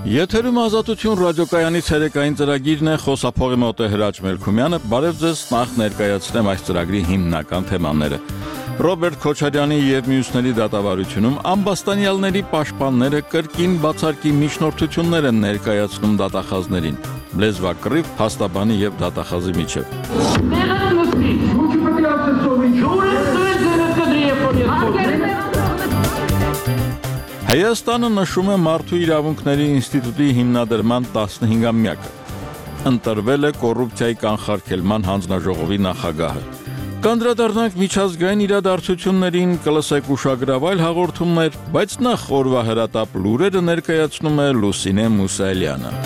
Եթերում ազատություն ռադիոկայանի ցերեկային ծրագիրն է, խոսափողի մոտ է Հրաչ Մելքումյանը, բարև ձեզ, նախ ներկայացնեմ այս ծրագրի հիմնական թեմաները։ Ռոբերտ Քոչարյանի եւ մյուսների դատավարությունում ամբաստանյալների պաշտպանները կրկին բացարկի միջնորդություններ են ներկայացնում դատախազներին։ Լեզվակռիվ, փաստաբանի եւ դատախազի միջեւ։ Հայաստանը նշում է Մարդու իրավունքների ինստիտուտի հիմնադրման 15-ամյակը։ Ընտրվել է կոռուպցիայի կանխարգելման հանձնաժողովի նախագահը։ Կանդրադառնանք միջազգային իրադարձություններին, կլսեք ուշագրավ այլ հաղորդումներ, բայց նախ օրվա հրատապ լուրերը ներկայացնում է Լուսինե Մուսայելյանը։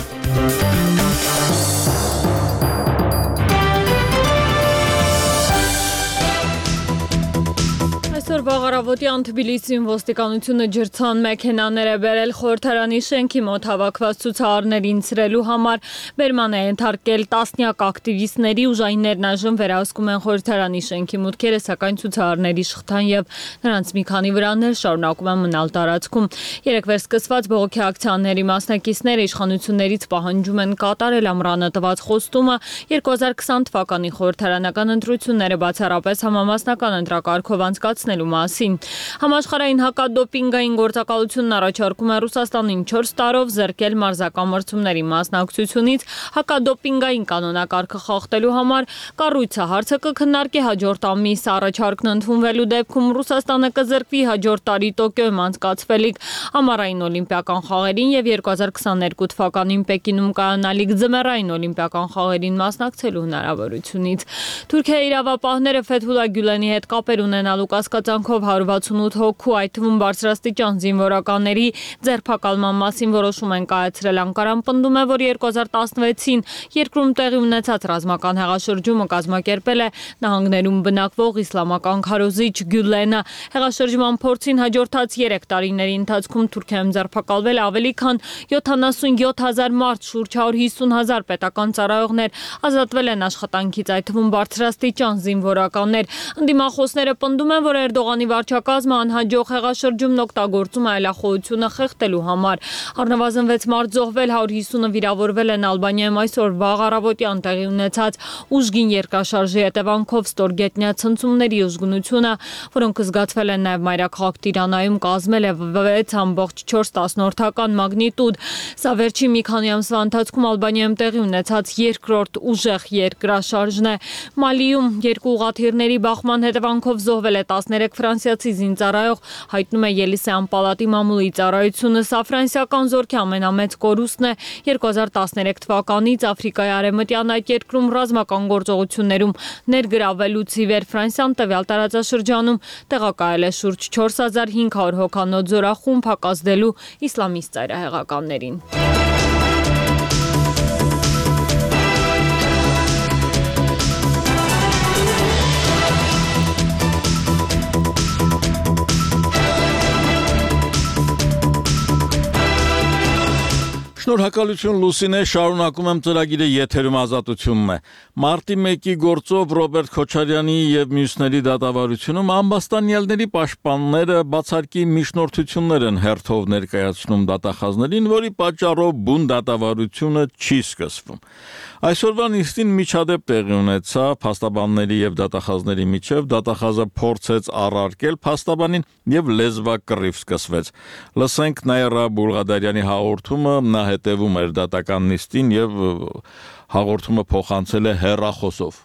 Վաղարավոտյան Թբիլիսիում ոստիկանությունը ջրցան մեքենաներ է բերել խորհրդարանի շենքի մոտ հավաքված ցուցարարներին ցրելու համար, բերման է ենթարկել տասնյակ ակտիվիստների, ուժայիններն այժմ վերահսկում են խորհրդարանի շենքի մուտքերը, սակայն ցուցարարների շղթան եւ նրանց մի քանի վրաններ շարունակում են մնալ տարածքում։ Երեկվեր սկսված բողոքի ակցիաների մասնակիցները իշխանություններից պահանջում են կատարել ամռանը տված խոստումը 2020 թվականի խորհրդարանական ընտրությունները բացառապես համամասնական ընտրակարգով անցկացնելու մասին։ Համաշխարհային հակադոպինգային գործակալությունն առաջարկում է Ռուսաստանին 4 տարով զրկել մարզական մրցումների մասնակցությունից հակադոպինգային կանոնակարգը խախտելու համար։ Կառույցը հարցը կքննարկի հաջորդ ամիս, առաջարկն ընդունվելու դեպքում Ռուսաստանը կզրկվի հաջորդ տարի Տոկիոյում անցկացվելիք ամառային օլիմպիական խաղերին եւ 2022 թվականին Պեկինում կայանալիք ձմեռային օլիմպիական խաղերին մասնակցելու հնարավորությունից։ Թուրքիայի իրավապահները Ֆեթհուլլա Գյուլենի հետ կապեր ունենալու կասկածանքով 168 հոգու, այդ թվում բարձրաստիճան զինվորականների ձերբակալման մասին որոշում են կայացրել։ Անկարան պնդում է, որ 2016-ին երկրում տեղի ունեցած ռազմական հեղաշրջումը կազմակերպել է նահանգներում բնակվող իսլամական քարոզիչ Գյուլենը։ Հեղաշրջման փորձին հաջորդած 3 տարիների ընթացքում Թուրքիայում ձերբակալվել ավելի քան 77,000 մարդ, շուրջ 150,000 պետական ծառայողներ ազատվել են աշխատանքից, այդ թվում բարձրաստիճան զինվորականներ։ Ընդդիմախոսները պնդում են, որ Էրդողանի վարչակազմը անհաջող հեղաշրջումն օգտագործում է այլախոհությունը խեղդելու համար։ Առնվազն 6 մարդ զոհվել, 150-ը վիրավորվել են Ալբանիայում այսօր վաղ առավոտյան տեղի ունեցած ուժգին երկրաշարժի հետևանքով ստորգետնյա ցնցումների ուժգնությունը, որոնք զգացվել են նաև մայրաքաղաք Տիրանայում, կազմել է 6,4 մագնիտուդ։ Սա վերջին մի քանի ամսվա ընթացքում Ալբանիայում տեղի ունեցած երկրորդ ուժեղ երկրաշարժն է։ Մալիում երկու ուղղաթիռների բախման հետևանքով զոհվել է 13 ֆրանսիացի զինծառայող, հայտնում է Ելիսեան պալատի մամուլի ծառայությունը։ Սա ֆրանսիական զորքի ամենամեծ կորուստն է 2013 թվականից Աֆրիկայի արևմտյան այդ երկրում ռազմական գործողություններում ներգրավվելուց ի վեր Ֆրանսիան տվյալ տարածաշրջանում տեղակայել է շուրջ 4500 հոգանոց զորախումբ հակազդելու իսլամիստ ծայրահեղականներին։ Շնորհակալություն Լուսինե, շարունակում եմ ծրագիրը, եթերում ազատությունն է։ Մարտի 1-ի գործով Ռոբերտ Քոչարյանի եւ մյուսների դատավարությունում ամբաստանյալների պաշտպանները բացարկի միջնորդություններ են հերթով ներկայացնում դատախազներին, որի պատճառով բուն դատավարությունը չի սկսվում։ Այսօրվա նիստին միջադեպ տեղի ունեցավ փաստաբանների եւ դատախազների միջև, դատախազը փորձեց առարկել փաստաբանին եւ լեզվակռիվ սկսվեց։ Լսենք Նաիրա Բուլղադարյանի հաղորդումը, նա հետևում էր դատական նիստին եւ հաղորդումը փոխանցել է հեռախոսով։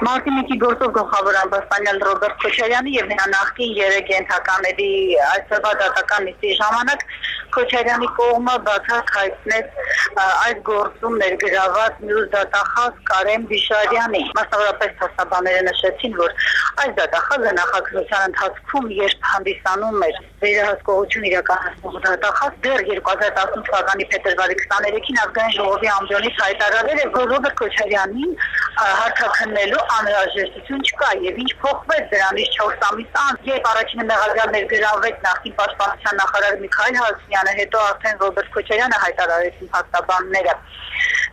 Մարտի 1-ի գործով գլխավոր ամբաստանյալ Ռոբերտ Քոչարյանի եւ նրա նախկին 3 ենթակաների այսօրվա դատական նիստի ժամանակ Քոչարյանի կողմը բացակ հայտնեց այս գործում ներգրաված մյուս դատախազ Կարեն Բիշարյանի։ Մասնավորապես փաստաբանները նշեցին, որ այս դատախազը նախաքննության ընթացքում երբ հանդիսանում էր վերահսկողություն իրականացնող դատախազ, դեռ 2018 թվականի փետրվարի 23-ին ազգային ժողովի ամբիոնից հայտարարել էր, որ Ռոբերտ Քոչարյանին հարթաքննելու անհրաժեշտություն չկա եւ ինչ փոխվեց դրանից 4 ամիս անց, երբ առաջինը մեղադրյալ ներգրավվեց նախկին պաշտպանության նախարար Միքայել Հարությունյանը, հետո արդեն Ռոբերտ Քոչարյանը հայտարարեցին փաստաբանները։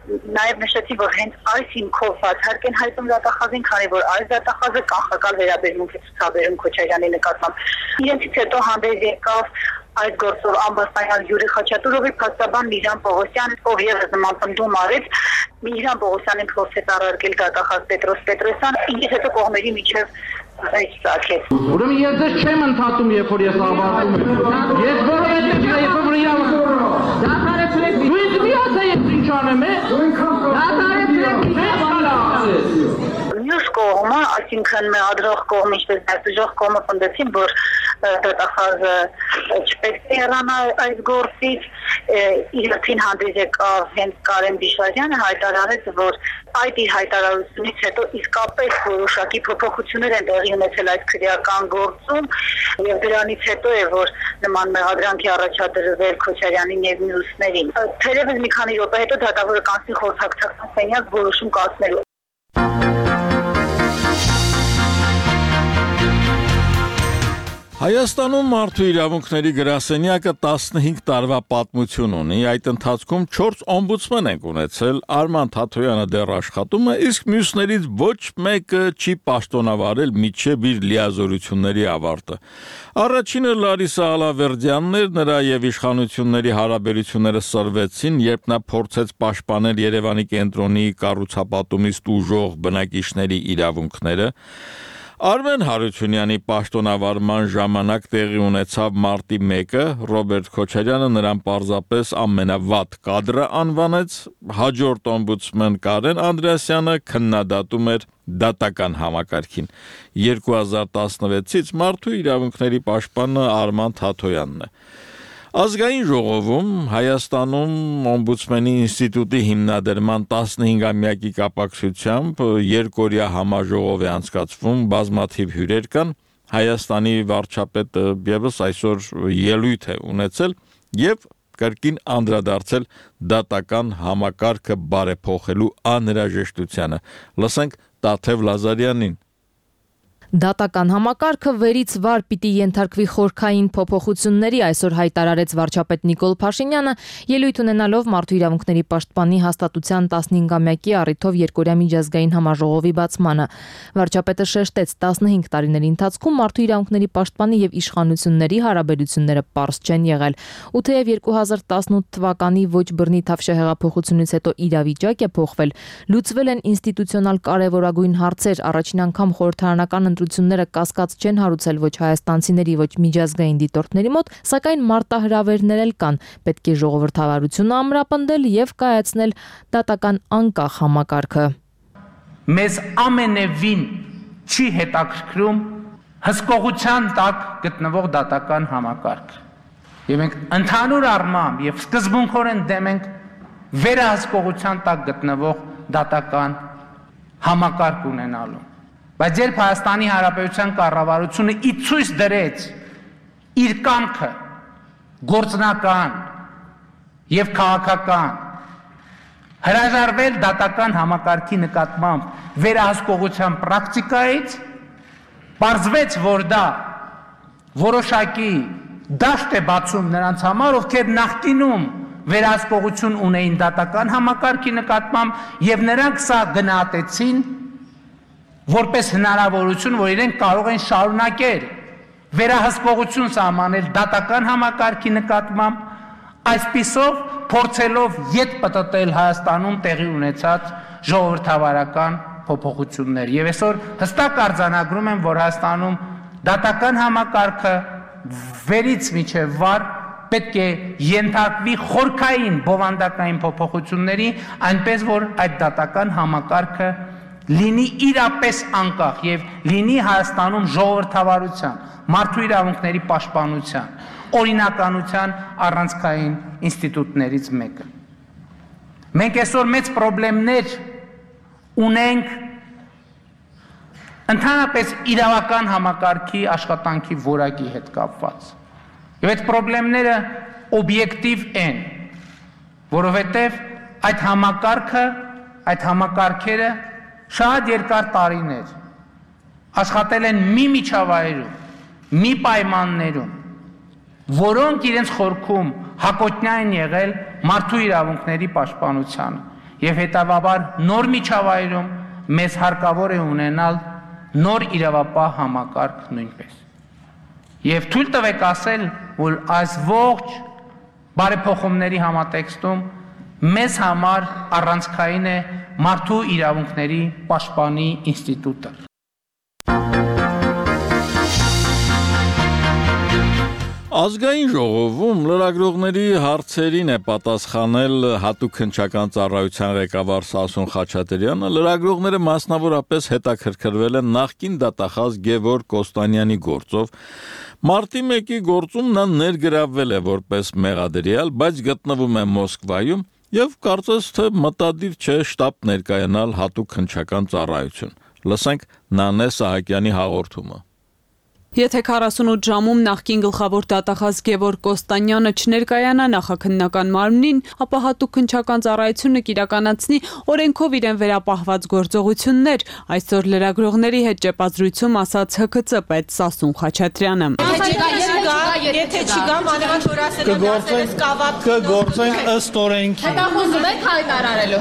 Նաև նշեցի, որ հենց այս հիմքով բացառք են հայտում դատախազին, քանի որ այս դատախազը կանխակալ վերաբերմունք է ցուցաբերում Քոչարյանի նկատմամբ։ Իրենցից հետո հանդես եկավ այդ գործով Ամբաստանյան Յուրի Խաչատուրովի փաստաբան Միհրան Պողոսյան, ով ևս նման պնդում արեց, Միհրան Պողոսյանին փորձեց առարկել դատախազ Պետրոս Պետրոսյան, ինչից հետո կողմերի միջև այս ցակեց։ Ուրեմն ես ձեզ չեմ ընդհատում, երբ որ ես ավարտում եմ։ Ես որովհետև երբ որ դատարեցրեք, դու ինձ մի ասա ես ինչ անեմ, դատարեցրեք, Մյուս կողմը, այսինքն մեղադրող կողմը, ինչպես դատուժող կողմը պնդեցին, որ դատախազը չպետք է հեռանա այս գործից, իրացին հանդես եկավ հենց Կարեն Բիշարյանը հայտարարեց, որ այդ իր հայտարարությունից հետո իսկապես որոշակի փոփոխություններ են տեղի ունեցել այդ քրեական գործում եւ դրանից հետո է որ նման մեղադրանքի առաջադրվել Քոչարյանին եւ մյուսներին։ Թերևս մի քանի րոպե հետո դատավորը կանցնի խորհրդակցական սենյակ որոշում կայացնելու։ Հայաստանում մարդու իրավունքների գրասենյակը 15 տարվա պատմություն ունի, այդ ընթացքում 4 օմբուդսմեն են ունեցել, Արման Թաթոյանը դեռ աշխատում է, իսկ մյուսներից ոչ մեկը չի պաշտոնավարել մինչև իր լիազորությունների ավարտը։ Առաջինը Լարիսա Ալավերդյանն էր, նրա եւ իշխանությունների հարաբերությունները սրվեցին, երբ նա փորձեց պաշտպանել Երևանի կենտրոնի կառուցապատումից տուժող բնակիչների իրավունքները։ Արմեն Հարությունյանի պաշտոնավարման ժամանակ տեղի ունեցավ մարտի 1-ը, Ռոբերտ Քոչարյանը նրան պարզապես ամենավատ կադրը անվանեց, հաջորդ օմբուդսմեն Կարեն Անդրեասյանը քննադատում էր դատական համակարգին։ 2016-ից մարդու իրավունքների պաշտպանը Արման Թաթոյանն է։ Ազգային ժողովում Հայաստանում օմբուդսմենի ինստիտուտի հիմնադրման 15-ամյակի կապակցությամբ երկօրյա համաժողով է անցկացվում, բազմաթիվ հյուրեր կան, Հայաստանի վարչապետը եւս այսօր ելույթ է ունեցել եւ կրկին անդրադարձել դատական համակարգը բարեփոխելու անհրաժեշտությանը։ Լսենք Տաթև Լազարյանին։ Դատական համակարգը վերից վար պիտի ենթարկվի խորքային փոփոխությունների, այսօր հայտարարեց վարչապետ Նիկոլ Փաշինյանը, ելույթ ունենալով մարդու իրավունքների պաշտպանի հաստատության 15-ամյակի առիթով երկօրյա միջազգային համաժողովի բացմանը։ Վարչապետը շեշտեց, 15 տարիների ընթացքում մարդու իրավունքների պաշտպանի եւ իշխանությունների հարաբերությունները պարզ չեն եղել։ Ու թեև 2018 թվականի ոչ բռնի թավշահեղափոխությունից հետո իրավիճակ է փոխվել, լուծվել են ինստիտուցիոնալ կարևորագույն հարցեր, առաջին անգամ խորհրդարանական ընտրությունները կասկած չեն հարուցել ոչ հայաստանցիների, ոչ միջազգային դիտորդների մոտ, սակայն մարտահրավերներ էլ կան, պետք է ժողովրդավարությունը ամրապնդել եւ կայացնել դատական անկախ համակարգը։ Մեզ ամենևին չի հետաքրքրում հսկողության տակ գտնվող դատական համակարգ։ Եվ մենք ընդհանուր առմամբ եւ սկզբունքորեն դեմ ենք վերահսկողության տակ գտնվող դատական համակարգ ունենալու։ Բայց երբ Հայաստանի Հանրապետության կառավարությունը ի ցույց դրեց իր կամքը գործնական եւ քաղաքական հրաժարվել դատական համակարգի նկատմամբ վերահսկողության պրակտիկայից, պարզվեց, որ դա որոշակի դաշտ է բացում նրանց համար, ովքեր նախկինում վերահսկողություն ունեին դատական համակարգի նկատմամբ եւ նրանք սա գնահատեցին որպես հնարավորություն, որ իրենք կարող են շարունակել վերահսկողություն սահմանել դատական համակարգի նկատմամբ, այսպիսով փորձելով ետ պտտել Հայաստանում տեղի ունեցած ժողովրդավարական փոփոխություններ։ Եվ այսօր հստակ արձանագրում եմ, որ Հայաստանում դատական համակարգը վերից մինչև վար պետք է ենթարկվի խորքային բովանդակային փոփոխությունների, այնպես որ այդ դատական համակարգը լինի իրապես անկախ եւ լինի Հայաստանում ժողովրդավարության, մարդու իրավունքների պաշտպանության, օրինականության առանցքային ինստիտուտներից մեկը։ Մենք այսօր մեծ խնդիրներ ունենք ընդհանրապես իրավական համակարգի աշխատանքի որակի հետ կապված։ Եվ այդ խնդիրները օբյեկտիվ են, որովհետև այդ համակարգը, այդ համակարգերը շատ երկար տարիներ աշխատել են մի միջավայրում, մի պայմաններում, որոնք իրենց խորքում հակոտնյա են եղել մարդու իրավունքների պաշտպանությանը, եւ հետագաբար նոր միջավայրում մեզ հարկավոր է ունենալ նոր իրավապահ համակարգ նույնպես։ Եվ թույլ տվեք ասել, որ այս ողջ բարեփոխումների համատեքստում մեզ համար առանցքային է մարդու իրավունքների պաշտպանի ինստիտուտը։ Ազգային ժողովում լրագրողների հարցերին է պատասխանել հատուկ հնչական ծառայության ղեկավար Սասուն Խաչատրյանը։ Լրագրողները մասնավորապես հետաքրքրվել են նախկին դատախազ Գևորգ Կոստանյանի գործով։ Մարտի 1-ի գործում նա ներգրավվել է որպես մեղադրյալ, բայց գտնվում է Մոսկվայում եւ կարծես թե մտադիր չէ շտաբ ներկայանալ հատուկ հնչական ծառայություն։ Լսենք Նանե Սահակյանի հաղորդումը։ Եթե 48 ժամում նախկին գլխավոր դատախազ Գևորգ Կոստանյանը չներկայանա նախաքննական մարմնին, ապա հատուկ հնչական ծառայությունը կիրականացնի օրենքով իրեն վերապահված գործողություններ, այսօր լրագրողների հետ ճեպազրույցում ասաց ՀԿՑ պետ Սասուն Խաչատրյանը։ Եթե չգա, մանավանդ որ ասել են դասերս կավատ կգործենք ըստ օրենքի։ Հետախուզում եք հայտարարելու։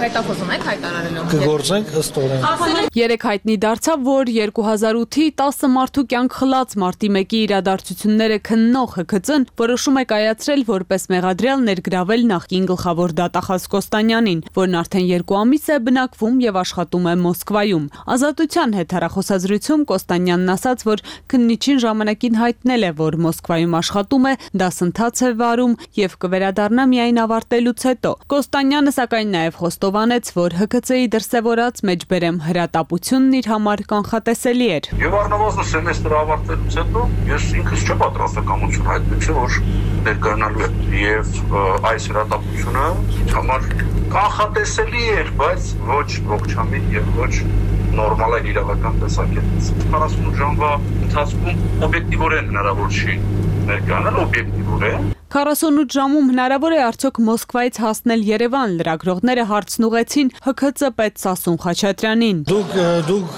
Կգործենք ըստ օրենքի։ Երեք հայտնի դարձավ, որ 2008-ի 10 մարդու կյանք խլած մարտի 1-ի իրադարձությունները քննող ՀԿՑ-ն որոշում է կայացրել որպես մեղադրյալ ներգրավել նախկին գլխավոր դատախազ Կոստանյանին, որն արդեն 2 ամիս է բնակվում եւ աշխատում է Մոսկվայում։ Ազատության հետ հեռախոսազրույցում Կոստանյանն ասաց, որ քննիչին ժամանակին հայտնել է, որ Մոսկվայում աշխատում է, դասընթաց է վարում եւ կվերադառնա միայն ավարտելուց հետո։ Կոստանյանը սակայն նաեւ խոստովանեց, որ ՀԿՑ-ի դրսեւորած մեջբերեմ հրատապությունն իր համար կանխատեսելի էր։ Եվ առնվազն սեմեստրը ավարտելուց հետո ես ինքս չպատրաստակամություն հայտնեցի, որ ներկայանալու է եւ այս հրատապությունը համար կանխատեսելի էր, բայց ոչ ողջամիտ եւ ոչ նորմալ է իրավական տեսակետից։ 48 ժամվա ընթացքում օբյեկտիվորեն հնարավոր չի ներկայանալ, օբյեկտիվորեն 48 ժամում հնարավոր է արդյոք Մոսկվայից հասնել Երևան, լրագրողները հարցն ուղեցին ՀԿՑ պետ Սասուն Խաչատրյանին։ Դուք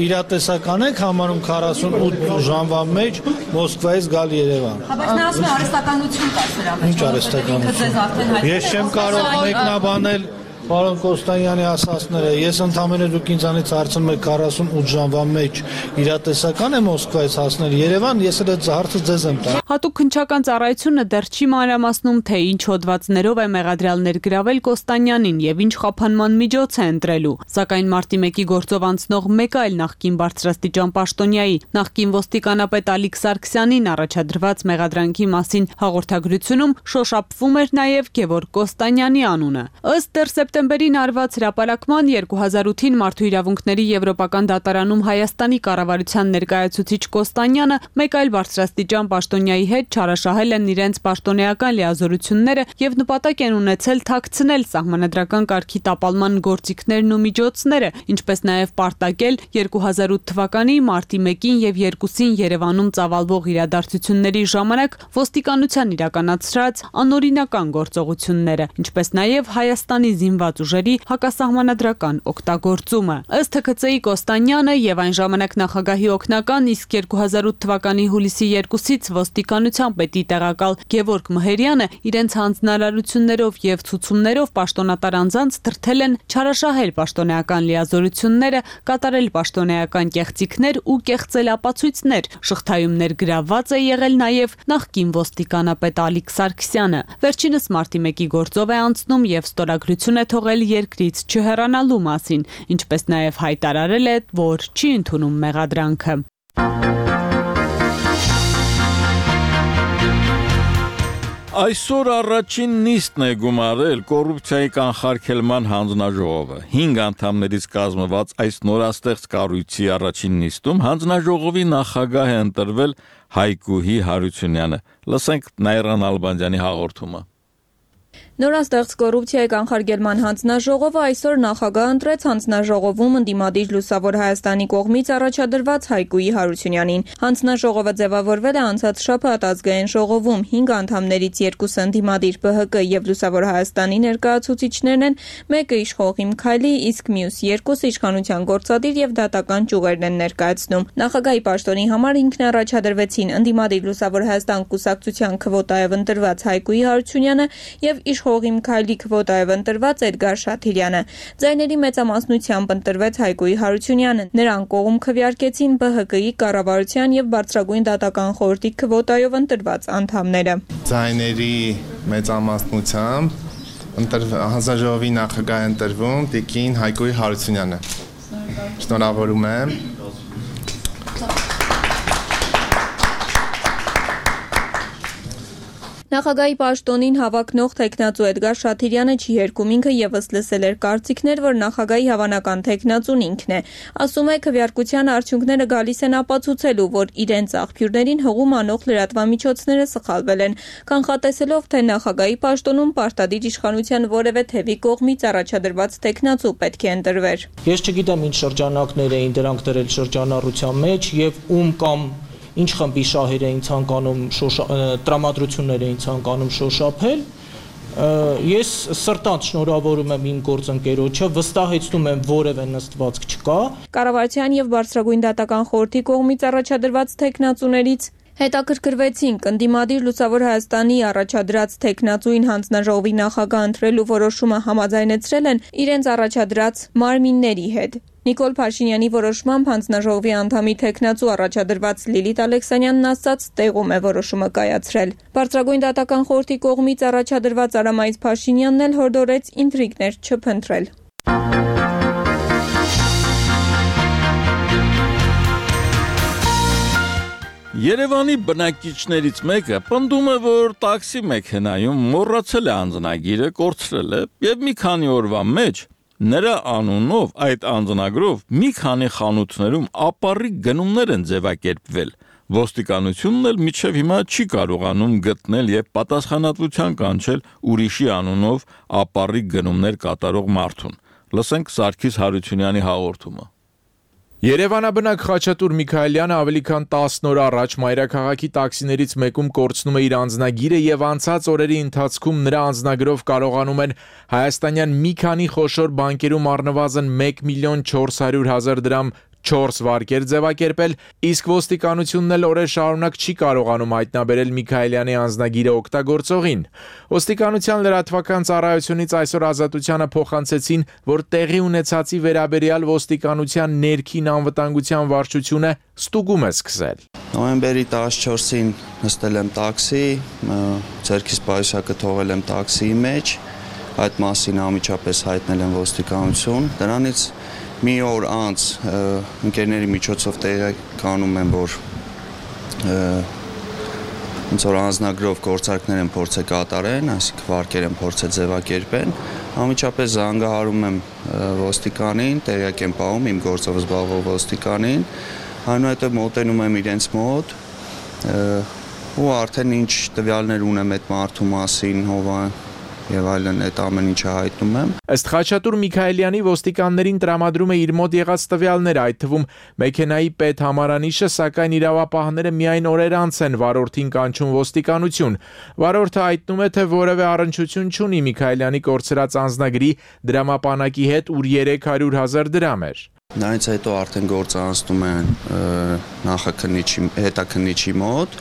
իրատեսական եք համարում 48 ժամվա մեջ Մոսկվայից գալ Երևան։ Բայց նա ասում է արհեստականություն կա սրա մեջ։ Ինչ արհեստականություն։ Ես չեմ կարող մեկնաբանել Պարոն Կոստանյանի ասածները, ես ընդամենը դուք ինձանից հարցնում եք 48 ժամվա մեջ իրատեսական է Մոսկվայից հասնել Երևան, ես այդ հարցը ձեզ եմ տալիս։ Հատուկ հնչական ծառայությունը դեռ չի մանրամասնում, թե ինչ հոդվածներով է մեղադրյալ ներգրավել Կոստանյանին եւ ինչ խափանման միջոց է ընտրելու։ Սակայն մարտի 1-ի գործով անցնող մեկ այլ նախկին բարձրաստիճան պաշտոնյայի, նախկին ոստիկանապետ Ալիկ Սարգսյանին առաջադրված մեղադրանքի մասին հաղորդագրությունում շոշափվում էր նաեւ Գևորգ Կոստանյանի անունը։ Ըստ Սեպտեմբերին արված հրապարակման 2008-ին Մարդու իրավունքների Եվրոպական դատարանում Հայաստանի կառավարության ներկայացուցիչ Կոստանյանը մեկ այլ բարձրաստիճան պաշտոնյայի հետ չարաշահել են իրենց պաշտոնեական լիազորությունները եւ նպատակ են ունեցել թաքցնել սահմանադրական կարգի տապալման գործիքներն ու միջոցները, ինչպես նաեւ պարտակել 2008 թվականի մարտի 1-ին եւ 2-ին Երևանում ծավալվող իրադարձությունների ժամանակ ոստիկանության իրականացրած անօրինական գործողությունները, ինչպես նաեւ Հայաստանի զինված ուժերի հակասահմանադրական օգտագործումը։ Ըստ ՀԿՑ-ի Կոստանյանը եւ այն ժամանակ նախագահի օգնական, իսկ 2008 թվականի հուլիսի 2-ից ոստիկանության պետի տեղակալ Գևորգ Մհերյանը իրենց հանձնարարություններով եւ ցուցումներով պաշտոնատար անձանց դրդել են չարաշահել պաշտոնեական լիազորությունները, կատարել պաշտոնեական կեղծիքներ ու կեղծել ապացույցներ։ Շղթայում ներգրավված է եղել նաեւ նախկին ոստիկանապետ Ալիկ Սարգսյանը։ Վերջինս մարտի 1-ի գործով է անցնում եւ ստորագրություն է թողել երկրից չհեռանալու մասին, ինչպես նաև հայտարարել է, որ չի ընդունում մեղադրանքը։ Այսօր առաջին նիստն է գումարել կոռուպցիայի կանխարգելման հանձնաժողովը։ 5 անդամներից կազմված այս նորաստեղծ կառույցի առաջին նիստում հանձնաժողովի նախագահ է ընտրվել Հայկուհի Հարությունյանը։ Լսենք Նայրան Ալբանդյանի հաղորդումը։ Նորաստեղծ կոռուպցիայի կանխարգելման հանձնաժողովը այսօր նախագահ ընտրեց հանձնաժողովում ընդդիմադիր Լուսավոր Հայաստանի կողմից առաջադրված Հայկուհի Հարությունյանին։ Հանձնաժողովը ձևավորվել է անցած շաբաթ ազգային ժողովում։ 5 անդամներից 2-ը ընդդիմադիր ԲՀԿ եւ Լուսավոր Հայաստանի ներկայացուցիչներն են, մեկը իշխող Իմ Քայլի, իսկ մյուս 2-ը իշխանության գործադիր եւ դատական ճյուղերն են ներկայացնում։ Նախագահի պաշտոնի համար ինքն առաջադրվեցին ընդդիմադիր Լուսավոր Հայաստան կուսակցության քվոտայով ընտրված Հայկուհի Հարությունյանը եւ իշխողի Միքայելի քվոտայով ընտրված Էդգար Շաթիրյանը։ Ձայների մեծամասնությամբ ընտրվեց Հայկոյի Հարությունյանը։ Նրան կողմ քվեարկեցին ԲՀԿ-ի կառավարության եւ Բարձրագույն դատական խորհրդի քվոտայով ընտրված անդամները։ Ձայների մեծամասնությամբ հանձնաժողովի նախագահ ընտրվում տիկին Հայկոյի Հարությունյանը։ Շնորհավորում եմ։ Նախագահի պաշտոնին հավակնող թեկնածու Էդգար Շաթիրյանը չի երգում, ինքը եւս լսել էր կարծիքներ, որ նախագահի հավանական թեկնածուն ինքն է։ Ասում է, քվեարկության արդյունքները գալիս են ապացուցելու, որ իրենց աղբյուրներին հղում անող լրատվամիջոցները սխալվել են, կանխատեսելով, թե նախագահի պաշտոնում պարտադիր իշխանության որևէ թևի կողմից առաջադրված թեկնածու պետք է ընտրվեր։ Ես չգիտեմ ինչ շրջանակներ էին դրանք դրել շրջանառության մեջ եւ ում կամ ինչ խմբի շահեր էին ցանկանում տրամադրություններ էին ցանկանում շոշափել ես սրտանց շնորհավորում եմ իմ գործընկերոջը վստահեցնում եմ որևէ նստվածք չկա Կառավարության եւ Բարձրագույն դատական խորհրդի կողմից առաջադրված թեկնածուներից հետաքրքրվեցինք ընդդիմադիր Լուսավոր Հայաստանի առաջադրած թեկնածուին հանձնաժողովի նախագահ ընտրելու որոշումը համաձայնեցրել են իրենց առաջադրած մարմինների հետ Նիկոլ Փաշինյանի որոշմամբ հանձնաժողովի անդամի թեկնածու առաջադրված Լիլիթ Ալեքսանյանն ասաց տեղում է որոշումը կայացրել Բարձրագույն դատական խորհրդի կողմից առաջադրված Արամայից Փաշինյանն էլ հորդորեց ինտրիգներ չփնտրել Երևանի բնակիչներից մեկը պնդում է, որ տաքսի մեքենայում մոռացել է անձնագիրը, կորցրել է եւ մի քանի օրվա մեջ նրա անունով այդ անձնագրով մի քանի խանութներում ապառիկ գնումներ են ձևակերպվել։ Ոստիկանությունն էլ մինչև հիմա չի կարողանում գտնել եւ պատասխանատվության կանչել ուրիշի անունով ապառիկ գնումներ կատարող մարդուն։ Լսենք Սարգիս Հարությունյանի հաղորդումը։ Երևանաբնակ Խաչատուր Միքայելյանը ավելի քան 10 օր առաջ մայրաքաղաքի տաքսիներից մեկում կորցնում է իր անձնագիրը եւ անցած օրերի ընթացքում նրա անձնագրով կարողանում են հայաստանյան մի քանի խոշոր բանկերում առնվազն 1.400.000 դրամ 4 վարկեր ձևակերպել, իսկ ոստիկանությունն էլ օրեր շարունակ չի կարողանում հայտնաբերել Միքայելյանի անձնագիրը օգտագործողին։ Ոստիկանության լրատվական ծառայությունից այսօր Ազատությանը փոխանցեցին, որ տեղի ունեցածի վերաբերյալ ոստիկանության ներքին անվտանգության վարչությունը ստուգում է սկսել։ Նոյեմբերի 14-ին նստել եմ տաքսի, ձեռքիս պայուսակը թողել եմ տաքսիի մեջ, այդ մասին անմիջապես հայտնել եմ ոստիկանություն, դրանից մի օր անց ընկերների միջոցով տեղեկանում եմ, որ ոնց որ անձնագրով գործարքներ են փորձել կատարեն, այսինքն վարկեր են փորձել ձևակերպեն, անմիջապես զանգահարում եմ ոստիկանին, տեղյակ եմ պահում իմ գործով զբաղվող ոստիկանին, այնուհետև մոտենում եմ իրենց մոտ ու արդեն ինչ տվյալներ ունեմ այդ մարդու մասին, եւ այլն այդ ամեն ինչը հայտնում եմ։ Ըստ Խաչատուր Միքայելյանի ոստիկաններին տրամադրում է իր մոտ եղած տվյալները, այդ թվում մեքենայի պետ համարանիշը, սակայն իրավապահները միայն օրեր անց են վարորդին կանչում ոստիկանություն։ Վարորդը հայտնում է, թե որևէ առնչություն չունի Միքայելյանի կորցրած անձնագրի դրամապանակի հետ, ուր 300.000 դրամ էր։ Դրանից հետո արդեն գործը անցնում է հետաքննիչի մոտ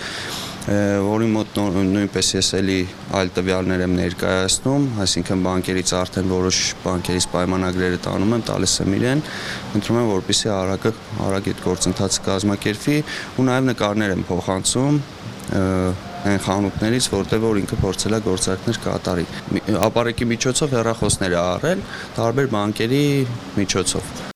որի մոտ նույնպես ես էլի այլ տվյալներ եմ ներկայացնում, այսինքն բանկերից արդեն որոշ բանկերից պայմանագրերը տանում եմ, տալիս եմ իրեն, ընտրում եմ, որպեսզի արագ այդ գործընթացը կազմակերպվի ու նաև նկարներ եմ փոխանցում այն խանութներից, որտեղ որ ինքը փորձել է գործարքներ կատարի։ Ապարեկի միջոցով հեռախոսներ է առել տարբեր բանկերի միջոցով։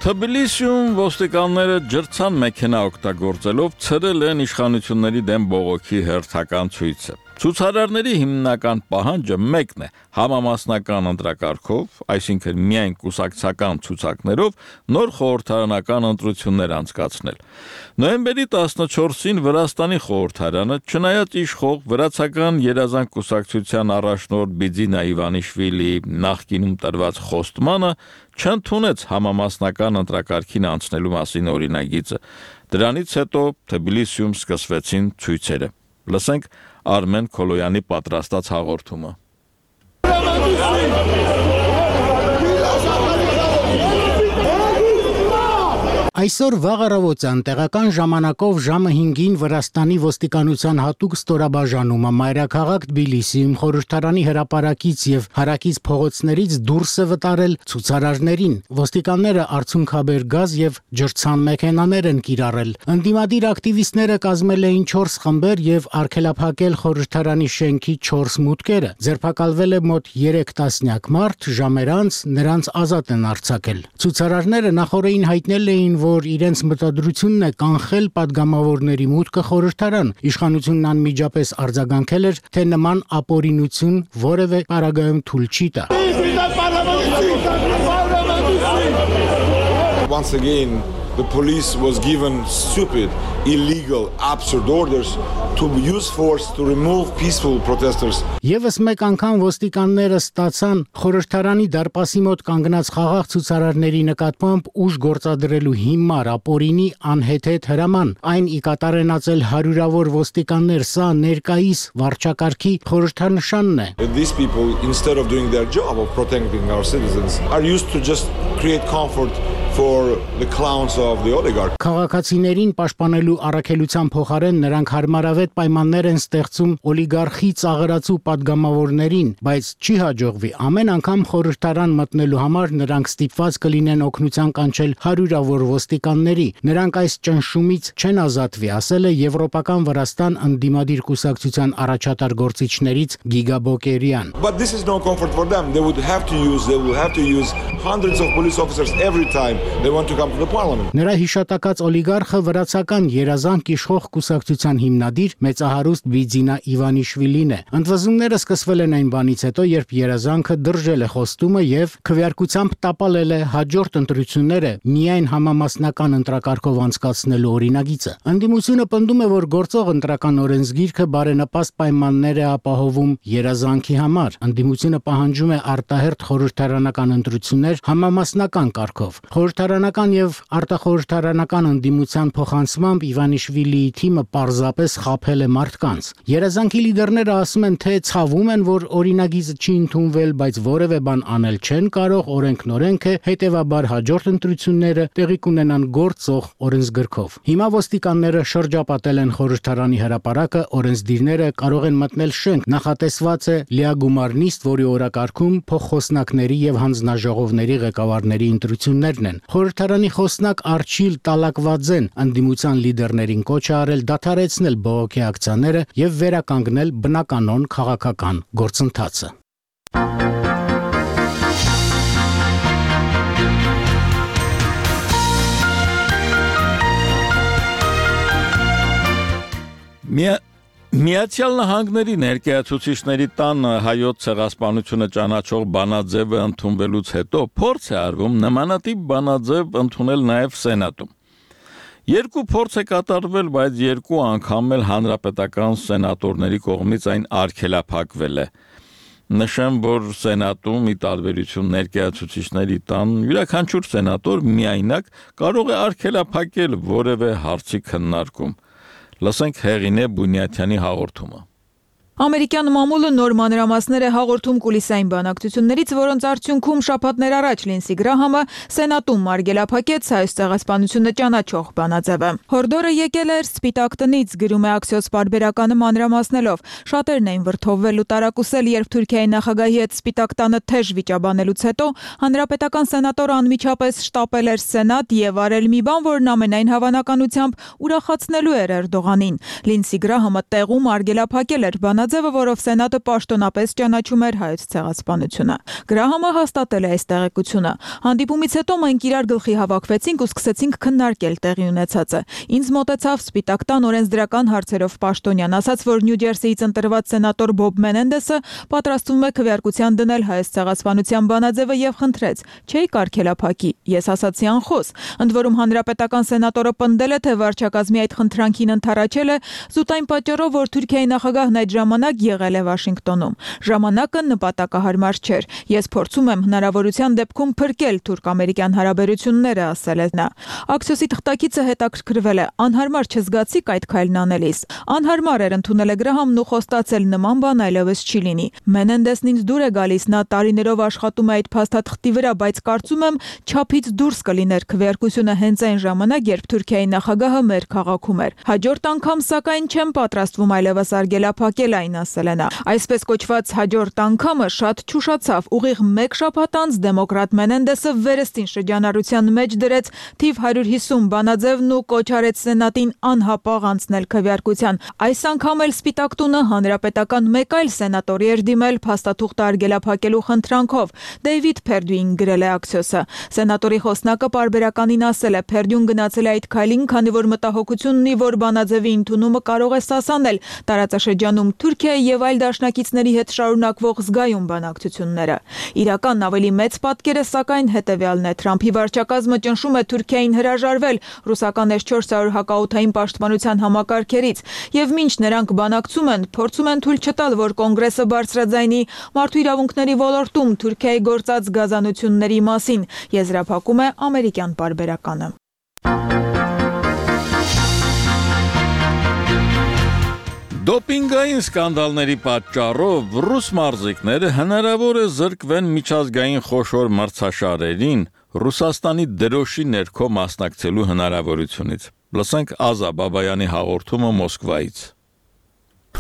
Թբիլիսիում ոստիկանները ջրցան մեքենա օգտագործելով ցրել են իշխանությունների դեմ բողոքի հերթական ցույցը։ Ցուցարարների հիմնական պահանջը մեկն է՝ համամասնական ընտրակարգով, այսինքն միայն կուսակցական ցուցակներով նոր խորհրդարանական ընտրություններ անցկացնել։ Նոյեմբերի 14-ին Վրաստանի խորհրդարանը, չնայած իշխող վրացական երազանք կուսակցության առաջնորդ Բիձինա Իվանիշվիլիի նախկինում տրված խոստմանը, չընդունեց համամասնական ընտրակարգին անցնելու մասին օրինագիծը։ Դրանից հետո Թբիլիսիում սկսվեցին ցույցերը։ Լսենք Արմեն Քոլոյանի պատրաստած հաղորդումը։ Այսօր վաղ առավոտյան տեղական ժամանակով ժամը 5-ին Վրաստանի ոստիկանության հատուկ ստորաբաժանումը մայրաքաղաք Թբիլիսիում խորհրդարանի հրապարակից եւ հարակից փողոցներից դուրս է վտարել ցուցարարներին։ Ոստիկանները արցունքաբեր գազ եւ ջրցան մեքենաներ են կիրառել։ Ընդդիմադիր ակտիվիստները կազմել էին 4 խմբեր եւ արգելափակել խորհրդարանի շենքի 4 մուտքերը։ Ձերբակալվել է մոտ 3 տասնյակ մարդ, ժամեր անց նրանց ազատ են արձակել։ Ցուցարարները նախորդին հայտնել էին, որ իրենց մտադրությունն է կանխել падգամավորների մուտքը խորհրդարան։ Իշխանությունն անմիջապես արձագանքել էր, թե նման ապօրինություն որևէ պարագայում թույլ չի տա։ Once again, the police was given stupid, illegal, absurd orders to use force to remove peaceful protesters. Եվս մեկ անգամ ոստիկանները ստացան խորհրդարանի դարպասի մոտ կանգնած խաղաղ ցուցարարների նկատմամբ ուժ գործադրելու հիմար ապօրինի անհեթեթ հրաման։ Այն ի կատար են ածել հարյուրավոր ոստիկաններ, սա ներկայիս վարչակարգի խորհրդանշանն է։ These people, instead of doing their job of protecting our citizens, are used to just create comfort for the clowns of the oligarch. Քաղաքացիներին պաշտպանելու առաքելության փոխարեն նրանք հարմարավետ պայմաններ են ստեղծում օլիգարխի ծաղրացու падգամավորներին, բայց չի հաջողվի։ Ամեն անգամ խորհրդարան մտնելու համար նրանք ստիպված կլինեն օգնության կանչել հարյուրավոր ոստիկանների։ Նրանք այս ճնշումից չեն ազատվի, ասել է Եվրոպական Վրաստան ընդդիմադիր կուսակցության առաջատար գործիչներից Գիգա Բոկերյան։ But this is no comfort for them. They will have to use hundreds of police officers every time they want to come to the parliament. Նրա հիշատակած օլիգարխը վրացական երազանք իշխող կուսակցության հիմնադիր մեծահարուստ Բիձինա Իվանիշվիլին է։ Ընդվզումները սկսվել են այն բանից հետո, երբ երազանքը դրժել է խոստումը եւ քվեարկությամբ տապալել է հաջորդ ընտրությունները միայն համամասնական ընտրակարգով անցկացնելու օրինագիծը։ Ընդդիմությունը պնդում է, որ գործող ընտրական օրենսգիրքը բարենպաստ պայմաններ է ապահովում երազանքի համար։ Ընդդիմությունը պահանջում է արտահերթ խորհրդարանական ընտրություններ համամասնական կարգով։ Խորհրդարանական եւ արտախորհրդարանական ընդդիմության փոխանցմամբ Իվանիշվիլիի թիմը պարզապես խաբել է մարդկանց։ Երազանքի լիդերները ասում են, թե ցավում են, որ օրինագիծը չի ընդունվել, բայց որևէ բան անել չեն կարող, օրենքն օրենք է, հետեւաբար հաջորդ ընտրությունները տեղի կունենան գործող օրենսգրքով։ Հիմա ոստիկանները շրջապատել են խորհրդարանի հրապարակը, օրենսդիրները կարող են մտնել շենք, նախատեսված է լիագումար նիստ, որի օրակարգում փոխխոսնակների եւ հանձնաժողովների ղեկավարների ընտրություններն են։ Խորհրդարանի խոսնակ Արչիլ Տալակվաձեն ընդդիմության լիդերներին կոչ է արել դադարեցնել բողոքի ակցիաները եւ վերականգնել բնականոն քաղաքական գործընթացը։ Միացյալ Նահանգների ներկայացուցիչների տան հայոց ցեղասպանությունը ճանաչող բանաձևը ընդունվելուց հետո փորձ է արվում նմանատիպ բանաձև ընդունել նաև Սենատում։ Երկու փորձ է կատարվել, բայց երկու անգամ էլ հանրապետական սենատորների կողմից այն արգելափակվել է։ Նշեմ, որ Սենատում ի տարբերություն ներկայացուցիչների տան յուրաքանչյուր սենատոր միայնակ կարող է արգելափակել որևէ հարցի քննարկում։ Լսենք Հեղինե Բունյաթյանի հաղորդումը։ Ամերիկյան մամուլը նոր մանրամասներ է հաղորդում կուլիսային բանակցություններից, որոնց արդյունքում շաբաթներ առաջ Լինսի Գրահամը Սենատում արգելափակեց հայոց ցեղասպանությունը ճանաչող բանաձևը։ Հորդորը եկել էր Սպիտակ տնից, գրում է Axios պարբերականը մանրամասնելով։ Շատերն էին վրդովվել ու տարակուսել, երբ Թուրքիայի նախագահի հետ Սպիտակ տանը թեժ վիճաբանելուց հետո հանրապետական սենատորը անմիջապես շտապել էր Սենատ եւ արել մի բան, որն ամենայն հավանականությամբ ուրախացնելու էր Էրդողանին։ Լինսի Գրահամը տեղում արգելափակել էր բանաձևը, որով Սենատը պաշտոնապես ճանաչում էր հայոց ցեղասպանությունը։ Գրահամը հաստատել է այս տեղեկությունը։ Հանդիպումից հետո մենք իրար գլխի հավաքվեցինք ու սկսեցինք քննարկել տեղի ունեցածը։ Ինձ մոտեցավ Սպիտակ տան օրենսդրական հարցերով պաշտոնյան, ասաց, որ Նյու Ջերսիից ընտրված սենատոր Բոբ Մենենդեսը պատրաստվում է քվեարկության դնել հայոց ցեղասպանության բանաձևը եւ խնդրեց. «Չէի կարգելափակի»։ Ես ասացի անխոս։ Ընդ որում հանրապետական սենատորը պնդել է, թե վարչակազմի այդ խնդրանքին ընդառաջել է զուտ այն պատճառով, որ Թուրքիայի նախագահն այդ ժամանակ ժամանակ եղել է Վաշինգտոնում։ Ժամանակը նպատակահարմար չէր։ Ես փորձում եմ հնարավորության դեպքում փրկել թուրք-ամերիկյան հարաբերությունները, ասել է նա։ Աքսիոսի թղթակիցը հետաքրքրվել է. անհարմար չզգացիք այդ քայլն անելիս։ Անհարմար էր, ընդունել է Գրահամն ու խոստացել, նման բան այլևս չի լինի։ Մենենդեսն ինձ դուր է գալիս, նա տարիներով աշխատում է այդ փաստաթղթի վրա, բայց կարծում եմ չափից դուրս կլիներ քվեարկությունը հենց այն ժամանակ, երբ Թուրքիայի նախագահը մեր քաղաքում էր։ Հաջորդ անգամ սակայն չեմ պատրաստվում այլևս արգելափակել այն, ասել է նա։ Այսպես կոչված հաջորդ անգամը շատ չուշացավ։ Ուղիղ 1 շաբաթ անց դեմոկրատ Մենենդեսը վերստին շրջանառության մեջ դրեց թիվ 150 բանաձևն ու կոչ արեց սենատին անհապաղ անցնել քվեարկության։ Այս անգամ էլ Սպիտակ տունը հանրապետական մեկ այլ սենատորի էր դիմել փաստաթուղթը արգելափակելու խնդրանքով։ Դեյվիդ Փերդյուին գրել է Աքսիոսը։ Սենատորի խոսնակը պարբերականին ասել է, Փերդյուն գնացել է այդ քայլին, քանի որ մտահոգություն ունի, որ բանաձևի ընդունումը կարող է սասանել տարածաշրջանում Թուրքիայի եւ այլ դաշնակիցների հետ շարունակվող զգայուն բանակցությունները։ Իրական ավելի մեծ պատկերը սակայն հետեւյալն է. Թրամփի վարչակազմը ճնշում է Թուրքիային հրաժարվել ռուսական S-400 հակաօդային պաշտպանության համակարգերից եւ մինչ նրանք բանակցում են, փորձում են թույլ չտալ, որ կոնգրեսը բարձրաձայնի մարդու իրավունքների ոլորտում Թուրքիայի գործած գազանությունների մասին, եզրափակում է ամերիկյան պարբերականը։ Դոպինգային սկանդալների պատճառով ռուս մարզիկները հնարավոր է զրկվեն միջազգային խոշոր մրցաշարերին Ռուսաստանի դրոշի ներքո մասնակցելու հնարավորությունից։ Լսենք Ազա Բաբայանի հաղորդումը Մոսկվայից։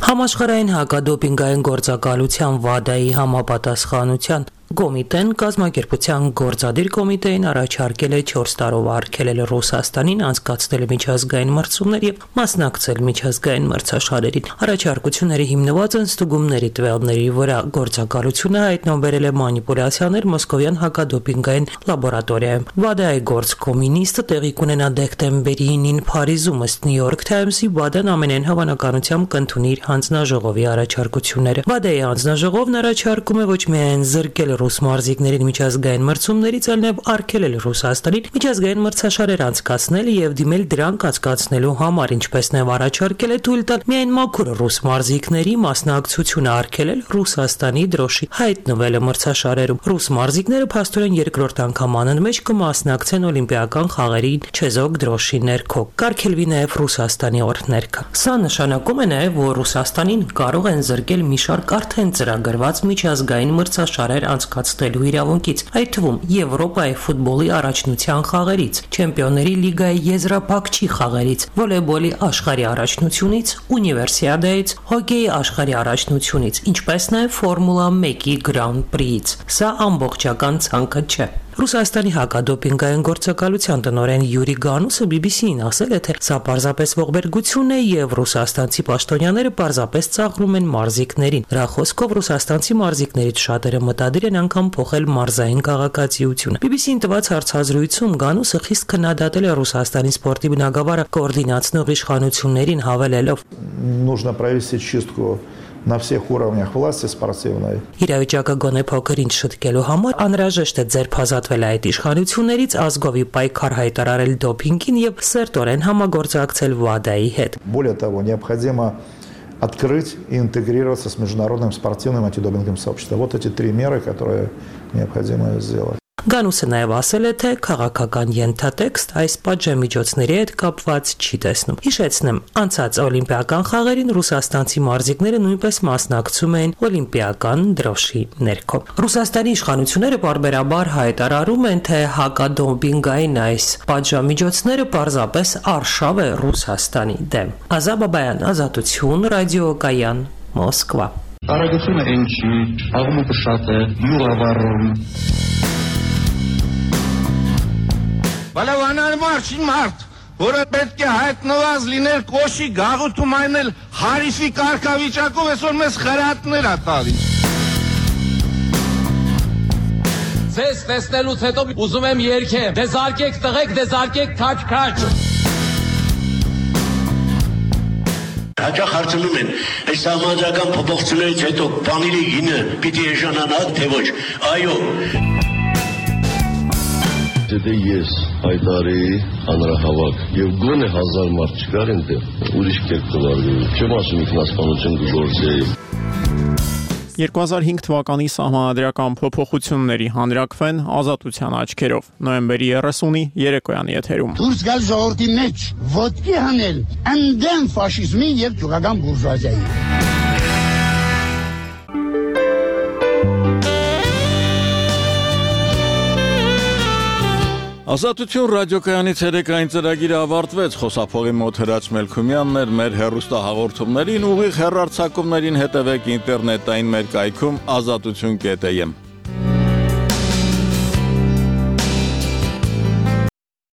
Համաշխարհային հակադոպինգային գործակալության WADA-ի համապատասխանության Կոմիտեն կազմակերպության գործադիր կոմիտեին առաջարկել է 4 տարով արգելել Ռուսաստանին անցկացնել միջազգային մրցումներ եւ մասնակցել միջազգային մրցաշարերին։ Առաջարկությունները հիմնված են ստուգումների տվյալների վրա։ Գործակալությունը հայտնաբերել է մանիպուլյացիաներ Մոսկովյան հակադոպինգային լաբորատորիայում։ WADA-ի գործկոմինիստը տեղի կունենա դեկտեմբերի 9-ին Փարիզում, ըստ New York Times-ի WADA-ն ամենայն հավանականությամբ կընդունի իր հանձնաժողովի առաջարկությունները։ WADA-ի հանձնաժողովն առաջարկում է ոչ միայն զրկել ռուս մարզիկներին միջազգային մրցումներից, այլ նաև արգելել Ռուսաստանին միջազգային մրցաշարեր անցկացնել եւ դիմել դրանք անցկացնելու համար, ինչպես նաև առաջարկել է թույլ տալ միայն մաքուր ռուս մարզիկների մասնակցությունը արգելել Ռուսաստանի դրոշի հայտնվելը մրցաշարերում։ Ռուս մարզիկները փաստորեն երկրորդ անգամ անընդմեջ կմասնակցեն օլիմպիական խաղերին չեզոք դրոշի ներքո։ Կարգելվի նաև Ռուսաստանի օրհներգը։ Սա նշանակում է նաև, որ Ռուսաստանին կարող են զրկել մի շարք արդեն ծրագրված միջազգային մրցաշարեր անցկացնելու իրավունքից, այդ թվում Եվրոպայի ֆուտբոլի առաջնության խաղերից, Չեմպիոնների լիգայի եզրափակչի խաղերից, վոլեյբոլի աշխարհի առաջնությունից, ունիվերսիադայից, հոկեյի աշխարհի առաջնությունից, ինչպես նաև Ֆորմուլա 1-ի Grand Prix-ից։ Սա ամբողջական ցանկը չէ։ Ռուսաստանի հակադոպինգային գործակալության տնօրեն Յուրի Գանուսը BBC-ին ասել է, թե սա պարզապես ողբերգություն է եւ ռուսաստանցի պաշտոնյաները պարզապես ծաղրում են մարզիկներին։ Դրա խոսքով ռուսաստանցի մարզիկներից շատերը մտադիր են անգամ փոխել մարզային քաղաքացիությունը։ BBC-ին տված հարցազրույցում Գանուսը խիստ քննադատել է Ռուսաստանի սպորտի բնագավառը կոորդինացնող իշխանություններին, հավելելով. Нужно провести чистку на всех уровнях власти спортивной. Իրավիճակը գոնե փոքր-ինչ շտկելու համար անհրաժեշտ է ձերբազատվել այդ իշխանություններից, ազգովի պայքար հայտարարել դոփինգին եւ սերտորեն համագործակցել WADA-ի հետ։ Более того, необходимо открыть и интегрироваться с международным спортивным антидопинговым сообществом. Вот эти 3 меры, которые необходимо сделать. Գանուսը նաև ասել է, թե քաղաքական ենթատեքստ այս պատժամիջոցների հետ կապված չի տեսնում։ Հիշեցնեմ, անցած օլիմպիական խաղերին ռուսաստանցի մարզիկները նույնպես մասնակցում էին օլիմպիական դրոշի ներքո։ Ռուսաստանի իշխանությունները պարբերաբար հայտարարում են, թե հակադոպինգային այս պատժամիջոցները պարզապես արշավ է Ռուսաստանի դեմ։ Ազա Բաբայան, Ազատություն, ռադիոկայան, Մոսկվա։ Արագությունը ինչի, աղմուկը շատ է, յուղավառում։ Բալավանար մարշին մարդ, որը պետք է հայտնված լինել կոշի գաղութում այնել հարիսի կարգավիճակով այսօր մեզ խրատներ ա տալիս։ Ձեզ տեսնելուց հետո ուզում եմ երգեմ, դեզարկեք տղեկ, դեզարկեք քաչ-քաչ։ Հաճախ հարցնում են, այս համաձայնական փոփոխություններից հետո բաների գինը պիտի էժանանա, թե ոչ։ Այո։ Եթե ես հայտարեի հանրահավաք եւ գոնե 1000 մարդ չկար այնտեղ, ուրիշ կերպ կվարվեի։ Չեմ ասում ինքնասպանություն կգործեի։ 2005 թվականի սահմանադրական փոփոխությունների հանրակրվեն ազատության աչքերով։ Նոյեմբերի 30-ի երեկոյան եթերում։ Դուրս գալ ժողովրդի մեջ, ոտքի հանել ընդդեմ ֆաշիզմի եւ ճուղական բուրժուազիայի։ Ազատություն ռադիոկայանի ցերեկային ծրագիրը ավարտվեց, խոսափողի մոտ Հրաչ Մելքումյանն էր, մեր հեռուստահաղորդումներին ուղիղ հեռարձակումներին հետևեք ինտերնետային մեր կայքում azatutun.am